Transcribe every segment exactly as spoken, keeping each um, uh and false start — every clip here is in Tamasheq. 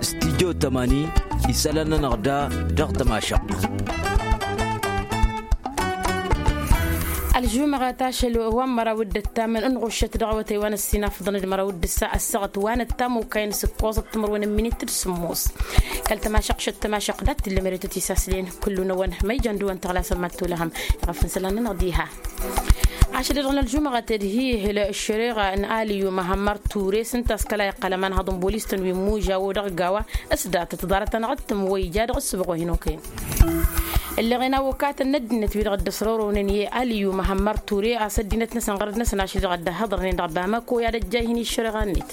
Studyo tămani isălan-nănăɣ da dăɣ-tămašăɣt. Ălžumăɣăt ašăl wa n-măraw d-ăttamăn ǝnɣuššăt dăɣ-awătay wa n-ăssinafăḍăn d-măraw d-ǝssa ăssaɣăt wa n-ăttam okayăn s-ǝkkoẓăt timǝrwen n-minit d-sǝmmos. Kăl-tămašăɣšăt tămašăɣ dat-tǝllăm eretăt isaslăyăn kullu-năwăn ma ijan dăɣ-wăn tăɣlasăn mad-tolăhăm. Iɣăf n-isălan-nănăɣ diha ašăl-i-dăɣ n-ălžumăɣăt ed hi-ihǝl ăššăreɣa n-aliyu măhămmăr ture s-ǝnta a-s kăla iqqăl ămanhăḍ n-bolis-tăn wi n-imužaw dăɣ-gawa. S-datăt ḍarăt-anăɣ d-tǝmmǝwăy ija dăɣ-ǝssǝbɣu hin-okăyăn. Ǝlleɣen awăkatăn n-ăddinăt-wi-dăɣ dd-ăsrorăwnen i-aliyu măhămmăr ture a-s ăddinăt-năsăn ɣărăd-năsăn ašăl-i-dăɣ ăddăhhăḍărnen dăɣ-bamako i-ad-ăjjayhǝn i-ăššăreɣa-net.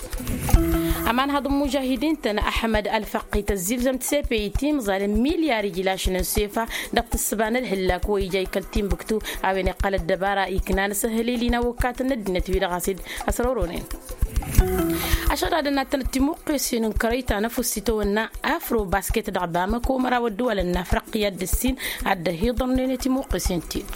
Ămanhăḍ n-imužahidin-tăn ăḥmăd ălfăqqi tăzzilzăm-t sepe itimẓal n-milyar ijlašnen sefa dăɣ-tǝssǝba n-ălhǝllak wa ija ikăl timbuktu. A-wen iqqăl ăddăbara iknan s-ehălil-in awăkatăn n-ăddinăt-wi-dăɣ a-s dd-ăsrorăwnen. Ašăl ad-ănnattănăt timuqqesen n-kărăy ta n-ăfuss itawănna afro basket dăɣ-bamăko măraw ădduwalăn n-afriqya d-ǝssin ad-dd-ăhiḍărnen i-timuqqesen-t-dd.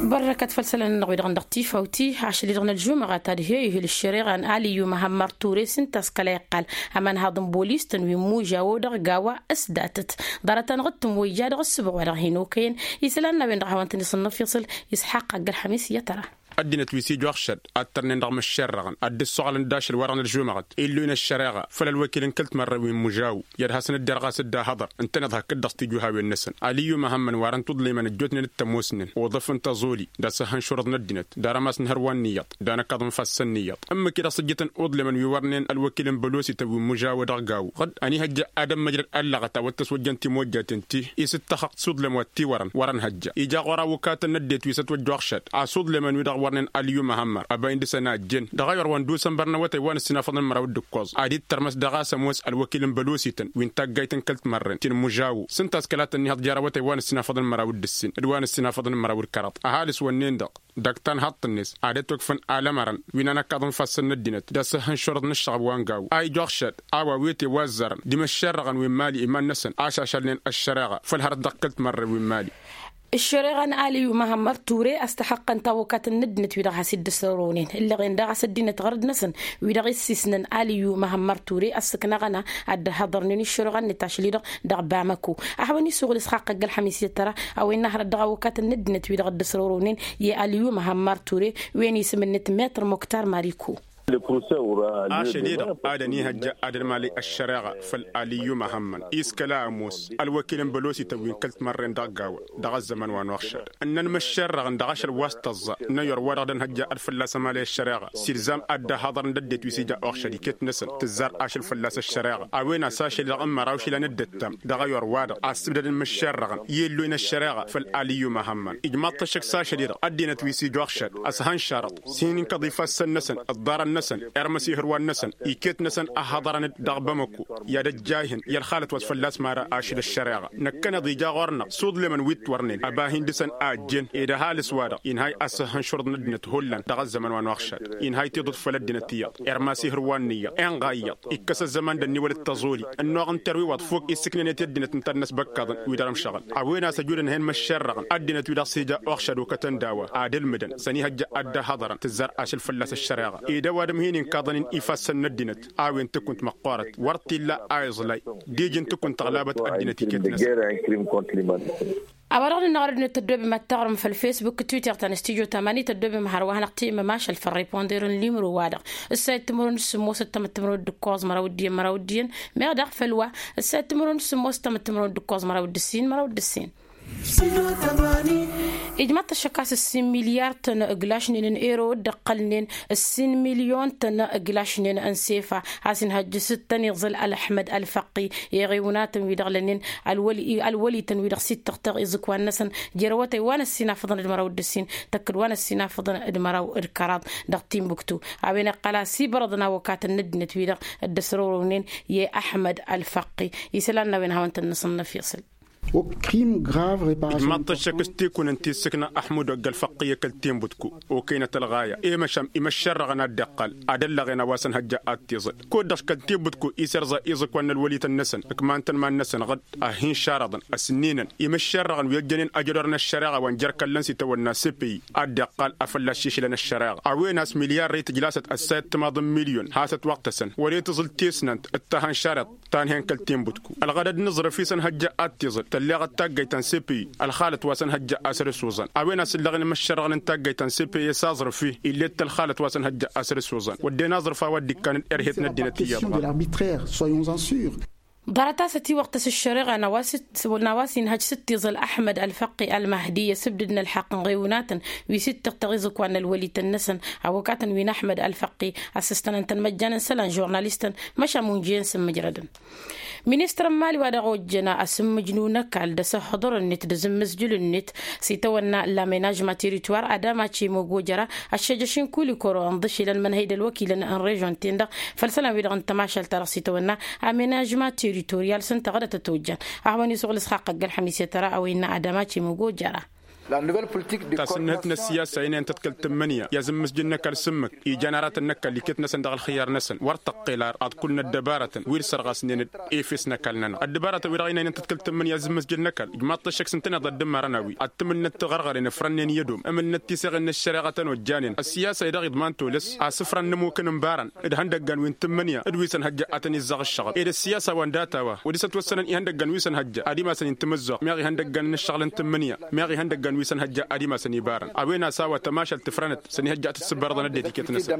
Bărrăkăt făll-isălan-nănăɣ wi-dăɣ dăɣ-tifawt. Ašăl-i-dăɣ n-ălžumăɣăt ad-hi-ihǝl ăššăreɣa n-aliyu măhămmăr ture s-ǝnta a-s kăla iqqal ămanhăḍ n-bolis-tăn wi n-imužaw dăɣ-gawa. S-datăt ḍarăt-anăɣ d-tǝmmǝwăy ija dăɣ-ǝssǝbɣu wa dăɣ-hin-okăyăn. Isălan n-a-wen-dăɣ a hawăn-tăn-isǝnnăf iṣǝl isḥaq aggăl ălxămis i-ad-tăra. Ăddinăt wi s-ija uɣšad ad-tărnen dăɣ-imǝššerrăɣăn ad-dd-ăssoɣălăn d-ašăl wa-dăɣ n-ălžumăɣăt illu-in ăššăreɣa făll-ălwăkil n-kăl-timărrăw wi n-imǝžaw. I-ad-hasăn-dd-irɣas dd-ahăḍăr ǝntăneḍ hakd-dăɣ s-tijǝhawen-năsăn aliyu măhămmăn wa-dăɣ n-tuḍliman ăjjootnen d-tămoosnen uḍǝf n-tăẓoli d-asăhhăn šurǝḍ n-ăddinăt d-arămas n-hărwa n-iyyăḍ d-anăkaḍ n-ifassăn n-iyyăḍ. Ǝmmǝk-i-dăɣ s-ǝjjǝtăn uḍlemăn wi wărnen ălwăkil n-bălosităn wi n-imǝžaw dăɣ-gaw ɣǝd ănihăjja ad-ămmăjrăd ăllăɣăt a-wa t-ăswăjjăn timojjaten-ti. Isǝttăxăɣ s-uḍlem wa t-iwărăn wărăn hăjja ija ɣur-awǝkatăn n-ăddinăt wi s-ătwăjja uɣšad a-s uḍlemăn-wi-dăɣ wărnen aliyu măhămmăr ăbay n-dăɣ-săn a ăjjeen dăɣ-ayǝr wa n-dusănbăr n-awătay wa n-ăssinafăḍăn măraw d-ǝkkoẓ ad-ittărmăs dăɣ-a-s ămoos ălwăkil n-bălosităn wi n-taggayt n-kăl-timărren ti n-imǝžaw s-ǝnta a-s kăla tănnihăḍ jer-awătay wa n-ăssinafăḍăn măraw d-ǝssin d-wa n-ăssinafăḍăn măraw d-kăraḍ ăhalǝs wănnen-dăɣ. Dăɣ-tanhaḍt-net ad-ătwăkfăn alămărăn wi n-anăkaḍ n-ifassăn n-ăddinăt d-asǝhhǝn šurǝḍ n-ǝššăɣb wa n-gaw a ija uɣšad a-wa wi ătewăzzărăn d-imǝššerrăɣăn wi n-imali iman-năsăn ašašălnen ăššăreɣa făll-hărăt dăɣ-kăl-timărre wi n-imali. Ăššăreɣa n-aliyu măhămmăr ture ăstăxăqqăn tawăkat n-ăddinăt wi-dăɣ has-dd-ăsrorăwnen ǝllăɣen daɣ a-s ăddinăt ɣărăd-năsăn wi dăɣ-issisnăn aliyu măhămmăr ture ăssǝknăɣăn ad-dd-ăhhăḍărnen i-ăššăreɣa-net ašăl-i-dăɣ dăɣ-bamăko. Ăhwăn isugǝl isxaqq ăgg-ălxămis i-ăttăra a-wen n-ahărăt dăɣ-awăkat n-ăddinăt wi-dăɣ dd-ăsrorăwnen i-aliyu măhămmăr ture wen isǝm-net metr muktar mariko. Ašăl-i-dăɣ ad-ănihăjja ad-ănmalăy ăššăreɣa făll-aliyu măhămmăn iskăla ămoos ălwăkil n-bălosităn wi n-kăl-timărren dăɣ-gawa dăɣ-ăzzăman wa n-uɣšăd ǝnnăn măššerrăɣ n-dăɣ-ašăl wa s-tăẓẓa n-ayyor-wa-dăɣ d-ănhăjja ad-fălla-s ămalăy ăššăreɣa s-ilzam ad-dd-ăhhăḍărăn d-ăddinăt wi s-ija uɣšăd iket-năsăn tǝzzar ašăl fălla-s ăššăreɣa a-wen a-s ašăl-i-dăɣ n-măraw išilan d-ǝttam dăɣ-ayyor-wa-dăɣ a ǝssǝbdădăn măššerrăɣăn i-ǝlloyăn ăššăreɣa făll-aliyu măhămmăn. Ijmaḍ-t ăššăk s-ašăl-i-dăɣ ăddinăt wi s-ija uɣšăd ăshănšărăḍ s-hin-inkăḍ ifassăn-năsăn ǝḍḍarăn-năsăn irmăs ihǝrwan-năsăn iket-năsăn ăhhăḍărăn-dd dăɣ-bamăko i-ad-ăjjayhǝn i-ălxalăt wa s-fălla-s mara ašăl ăššăreɣa. Năkkăneḍ ija ɣur-năɣ s-uḍlemăn wi t-wărnen ăba hin-dăɣ-săn a ăjjeen ed ăhalǝs-wa-dăɣ inhay asǝhhǝn šurǝḍ n-ăddinăt hullan dăɣ-ăzzăman wa n-uɣšăd. Inhay tiḍǝt făll-ăddinăt iyyăḍ irmas ihǝrwan n-iyyăḍ inɣa iyyăḍ ikkăs ăzzăman d-ănniwălăt tăẓoli ănnuɣ n-terwiwăḍ fok issǝknănet i-ăddinăt ǝntăr-năsbăkkaḍăn wi dăr-ămšăɣăl. A-wen a-s ăjudăn hen măššerrăɣăn ăddinăt wi dăɣ-s ija uɣšăd okătăn d-a-wa ad-ǝlmǝdăn s-ănihăjja ad-dd-ăhhăḍărăn tǝzzar ašăl fălla-s ăššăreɣa. Ed ăwadǝm hin-inkăḍăn-in ifassăn n-ăddinăt a-wen tǝkunt măqqoorăt wăr t-illa a iẓlay d-iji n-tǝkunt tăɣlabăt ăddinăt iket-năsăn. A-wa-dăɣ nǝnna ɣur-ăddinăt tăddoobem ad-taɣrǝm făll-fesbuk d-twitter ta n-studyo tamani tăddoobem hărwa hanăɣ-t-immăm ašăl făll-riponder n-limro-wa-dăɣ ǝssa i-timǝrwen d-sǝmmos d-tamǝttǝmrăwăt d-ǝkkoẓ măraw d-iyyăn măraw d-iyyăn. Meɣ daɣ făll-wa ǝssa i-timǝrwen d-sǝmmos d-tamǝttǝmrăwăt d-ǝkkoẓ măraw d-ǝssin măraw d-ǝssin. Ijmaḍ-t ăššăk a-s ǝssin milyar-tăn ǝglašnen n-ero dd-ǝqqălnen ǝssin milyon-tăn ǝglašnen n-sefa. A-s inhăjj s-tăn-iẓǝl ălăḥmăd ălfăqqi i-iɣiwǝnatăn wi-dăɣ lănnen ălwăli-tăn wi-dăɣ s-ittăɣtăɣ iẓǝkwan-năsăn jer-awătay wa n-ăssinafăḍăn d-măraw d-ǝssin tăkk-dd wa n-ăssinafăḍăn d-măraw d-kăraḍ dăɣ-timbuktu. A-wen iqqăl a-s ibărăḍăn awăkatăn n-ăddinăt wi-dăɣ dd-ăsrorăwnen i-ăḥmăd ălfăqqi. Isălan n-a-wen hawăn-tăn-năsăn n-efyăṣǝl. O krim grav reparasion. Ijmaḍ-t ăššăk s-tikunăn ti ǝssǝkna ăḥmud ogg ălfăqqi i-kăl-tinbǝtku. Okăynăt ălɣaya i-măšan imăššărrăɣăn ad-dd-iqqal ad-ăllăɣen a-wa s-ănhăjja ad-t-iẓǝl kud-dăɣ kăl-tinbǝtku isărẓa iẓǝkwan n-ălwălităn-năsăn ǝkmantăn iman-năsăn ɣǝd ad-hin-šaraḍăn. Ăsninăn imăššărrăɣăn wi ăjjănen ajădor n-ăššăreɣa wa n-jer-kăllăn s-itawănna cpi ad-dd-iqqal a fălla-s išlăn ăššăreɣa a-wen a-s milyar rey tǝjlasăt ăssayăt timaḍ n-milyon has-ătwăɣtăsăn wăr-e tǝẓǝl tesnant d-ta hăn-šareḍ ta n-hen kăl-tinbǝtku. Ălɣădăd n-aẓrǝf i-s ănhăjja ad-t-iẓǝl tălleɣăt taggayt ta n-cpi. Ălxalăt wa s-ănhăjja a săr-s oẓăn a-wen a-s ǝllăɣen imăššărrăɣăn n-taggayt ta n-cpi s-aẓrǝf-i ill'-e d-tălxalăt wa s-ănhăjja a săr-s oẓăn wădden aẓrǝf a-wa dd-ikkan d-erhet n-ăddinăt iyyăḍ ɣas. Ḍarăt-as ătiwăɣtăs ăššăreɣa n-a-wa s-inhăj s-t-iẓǝl ăḥmăd ălfăqqi ălmahdi i-asǝbdǝd n-ălḥăqq n-iɣewnatăn wi s-ittăɣtăɣ iẓǝkwan n-ălwălităn-năsăn. Awăkatăn wi n-ăḥmăd ălfăqqi a-s ǝstănăn-tăn măjjan n-isălan žurnalistăn măšan munjăyăn s-ǝmmǝjrădăn. Ministăr n-imali wa dăɣ-ojjăn asǝmmǝjnu n-ăkall d-asǝhhǝḍăr-net d-azǝmmǝzjǝl-net s-itawănna l-amenajma teritwar adama cimogojăra ăššăjăš-in kulikoro ǝnḍǝšilăn mănhăy d-ălwăkilăn n-režon-ten-dăɣ făll-isălan-wi-dăɣ n-tămašalt-ta-dăɣ s-itawănna amenajma teritoryal s-ǝnta ɣădăt ătojjan. Ad-hawăn-isuɣǝl s-xaqqăgg ălxămis i-tăra a-wa innă adama cimogojăra. Tasǝnnǝhǝt n-ăssiyasa ăynayăn tăt-kăl-tǝmmǝnǝya i-azǝmmǝsjǝl n-ăkall s-ǝmmǝk ija n-aratăn n-ăkall iket-năsăn dăɣ-ălxǝyyar-năsăn wăr tăqqel ar ad-kull n-ăddăbarătăn wi d-sărɣasnen d-efes n-ăkall-nănăɣ ăddăbarătăn-wi-dăɣ ăynayăn tăt-kăl-tǝmmǝnǝya i-azǝmmǝsjǝl n-ăkall ijmaḍ-t ăššăk s-ǝntăneḍ ad-dd-ǝmmarăn a-wi ad-tǝmǝnnăt tiɣărɣăren ǝfrănnen i-ădom ǝmǝnnăt tiseɣen n-ăššăreɣa tănojjanen ăssiyasa-i-dăɣ iḍman tolăs asǝfran n-ămmukăn n-ibarăn d-ihăndăggan wi n-tǝmmǝnǝya d-wi s-ănhăjja ad-tăn-izzăɣ ǝššăɣǝl ed ăssiyasa wa n-data wa wăr dăɣ-s ătwăssănăn ihăndăggan wi s-ănhăjja ad-imasăn-in tǝmǝzzuɣ meɣ ihăndăggan n-ǝššăɣǝl n-tǝmmǝnǝya meɣ ihăndăggan wi s-ănhăjja ad-imasăn ibarăn a-wen a-s a-wa tămašalt tǝfrănăt s-ănihăjja ad-tǝssǝbbărăḍăn ăddinăt iket-năsăn.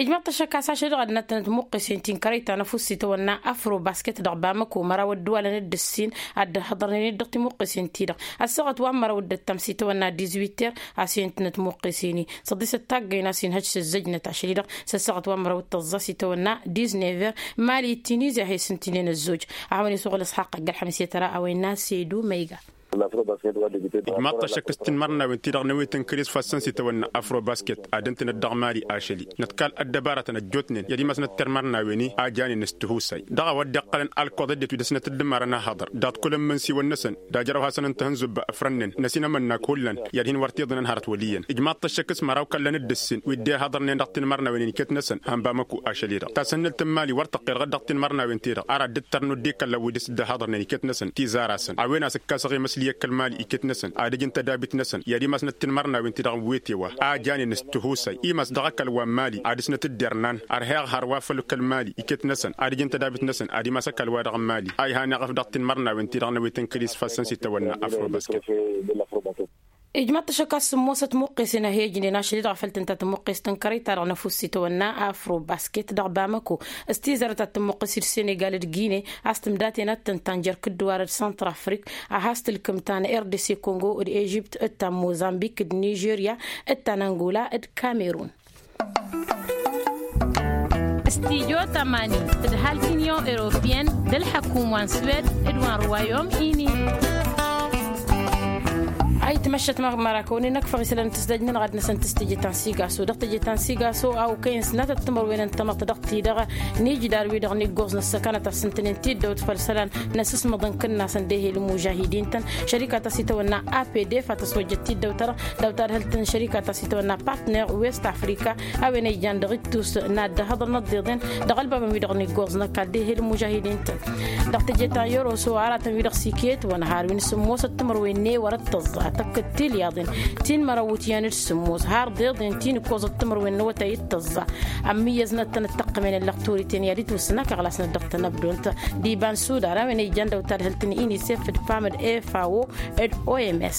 Ijmăḍ-t ăššăk a-s ašăl dăɣ-ad-năttănăt muqqes-in ti n-kărăy ta n-ăfuss itawănna afrobasket dăɣ-bamăko măraw ădduwalăn d-ǝssin ad-dd-ăhhăḍărnen-dd dăɣ-timuqqes-in-ti-dăɣ ăssaɣăt wa n-măraw d-ăttam s-itawănna diz-witter. A-s iyăn tǝnăt muqqes-in-i s-ăḍḍisăt taggăyăn a-s inhăj s-ǝzzăjnăt ašăl-i-dăɣ s-ăssaɣăt wa n-măraw d-tăẓẓa s-itawănna diz-never. Mali d-tinizya he-s ǝntǝnen ăzzoj. Ad-hawăn-isuɣǝl ǝsxaqq ăgg-ălxămis i-tăra a-wa innă sedu ma iga. Ijmaḍ-t ăššăk s-tinmărnawen-ti-dăɣ n-ewet n-kăres fassăn s-itawănna afrobasket ad-ǝntǝnăt dăɣ-mali ašăl-i nătkal ăddăbarătăn ăjjootnen i-ad-imasnăt timărnawen-i a janen s-tihusay dăɣ-a-wa dd-iqqălăn alkoḍ ăddinăt wi dăɣ-snăt dd-ǝmmarăn ahăḍăr dăɣ-t kull n-imǝnsiwăn-năsăn d-ajrăw hasăn-ǝnta hăn zubba ăfrănnen n-ăsinămănnak hullan i-ad-hin-wăr t-iḍǝnăn hărăt wăl' iyyăn. Ijmaḍ-t ăššăk s-măraw kăllăn d-ǝssin wi dd-ihăḍărnen dăɣ-tinmărnawen-in iket-năsăn hănbamăku ašăl-i-dăɣ tasǝnnǝlt n-mali wăr tăqqel ɣǝd dăɣ-tinmărnawen-ti-dăɣ ar ad-dd-tărnu dd-ikăllăn wi dăɣ-s dd-ăhhăḍărnen iket-năsăn tizar-asăn a-wen a-s ǝkkasăɣ i-măsli i-kăl-mali iket-năsăn ad-ǝjǝn tădabit-năsăn i-ad-imasnăt tinmărnawen-ti-dăɣ n-wete wa a janen s-tihusay imas dăɣ-ăkall wa n-mali ad-dăɣ-snăt dd-irnan ărheɣ hărwa făll-kăl-mali iket-năsăn ad-ǝjǝn tădabit-năsăn ad-imas ăkall-wa-dăɣ n-mali a ihaneɣ ăf dăɣ-tinmărnawen-ti-dăɣ n-ewet n-kăl-isfassăn s-itawănna afrobasket. Ijmaḍ-t ăššăk a-s sǝmmosăt muqqesen a hi-ǝjnen ašăl-i-dăɣ a făl tǝnta tǝmmuqqest n-kărăy-ta-dăɣ n-ăfuss itawănna afrobasket dăɣ-bamăko s-tizarăt ad-tǝmmuqqes d-senegal d-gine a-s tǝmdaten ad-tǝnta n-jer-kǝddǝwarăt săntrafrik a has-tǝlkǝm ta n-rdc kongo d-ežipt d-ta n-mozambik d-nižerya d-ta n-angola d-kamerun. Studyo tămani d-ăhalk union europeyăn d-ălḥăkum wa n-swed d-wa n-ruwayom ini. Ayǝtmăššăt mărakăwăn-in ăkfăɣ isălan n-tǝsdăj-nănăɣ ad-năsăn tǝstǝje ta n-sigaso dăɣ-tǝje ta n-sigaso a okăyăn s-natăt timărwen n-tamăḍt dăɣ-ti-dăɣ n-ijdar-wi-dăɣ n-iggoẓ n-ăssăkanăt a-s ǝntănen tiddăwt făll-isălan n-asǝsmăḍ n-kǝnnasăn d-ehel n-imužahidin-tăn šărika ta s-itawănna apdf a tăswăjjăt tiddăwt-ta-dăɣ daw-tadhǝlt n-šărika ta s-itawănna partner west afrika a-wen a ijan dăɣ-ittus n-ad-dd-ăhhăḍăn ăḍḍeḍen dăɣ-ălbabăn-wi-dăɣ n-iggoẓ n-ăkall d-ehel n-imužahidin-tăn. Dăɣ-teje ta n-yoroso aratăn-wi-dăɣ s-iket wăn har wi n-sǝmmosăt timărwen n-ewăr d-tăẓẓa tăkk d-tilyaḍen ti n-mărăwwǝt iyyăn d-sǝmmos har deḍen ti n-ǝkkoẓăt timărwen n-awătay d-tăẓẓa. Ămmǝyyăznăt-tăn d-tăqqămen ăllăɣ turiten i-ad-itwǝssǝn akăɣlas-năt dăɣ-tănăbdont d-iba n-sudar a-wen a ijan daw-tadhǝlt n-inisef d-pam d-efao d-oms.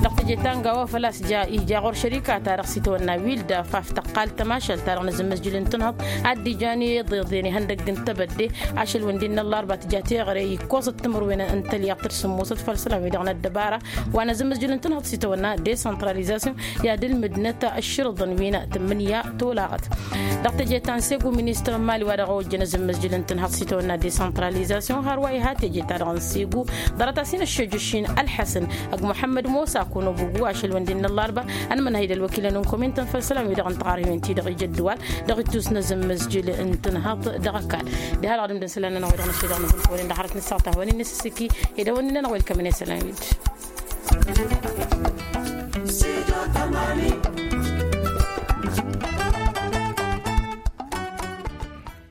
Dăɣ-teje ta n-gawa făl-a-s ija ija ɣur-šărika-ta-dăɣ s-itwănna wilda faf tăqqal tămašalt-ta-dăɣ n-azǝmmăzjǝl n-tǝnhăḍ ad-dd-ijan iḍeḍen ihăndăgg n-tebădde. Ašăl-wen d-innă ăllarba tǝja teɣăre ikkoẓăt timǝrwen n-tălyaḍt d-sǝmmosăt făll-isălan-wi-dăɣ n-ăddăbara wa n-azǝmmăzjǝl n-tǝnhăḍ. Tănhăḍ s-itawănna desantralizasyon i-ad-ǝlmǝdnăt ăšširǝḍăn wi n-tǝmmǝnǝya tolaɣăt. Dăɣ-teje ta n-segu ministăr n-mali wa dăɣ-ojjăn azǝmmăzjǝl n-tǝnhăḍ s-itawănna desantralizasyon hărwa iha teje ta dăɣ-n segu. Ḍarăt-as-in ăššejăš-in ălḥăsăn ăgg muḥămmăd mosa kănobugu ašăl wăn dd-innă ăllarba. Ănmănhăy d-ălwăkilăn n-komin tăn-făll-isălan wi dăɣ-n tăɣarhiwen ti dăɣ-ija ăddăwal dăɣ-ittus n-azǝmmăzjǝl n-tǝnhăḍ dăɣ-ăkall. Diha dăɣ-ad-ǝmdăn isălan-nănăɣ wi dăɣ-năššăy dăɣ-nǝbǝl făwănen dăɣ-hărăt n-ǝssaɣ ta hawăn-in-nǝsǝssǝki ed awăn-innănăɣ welcămăn isălan-wi-dd.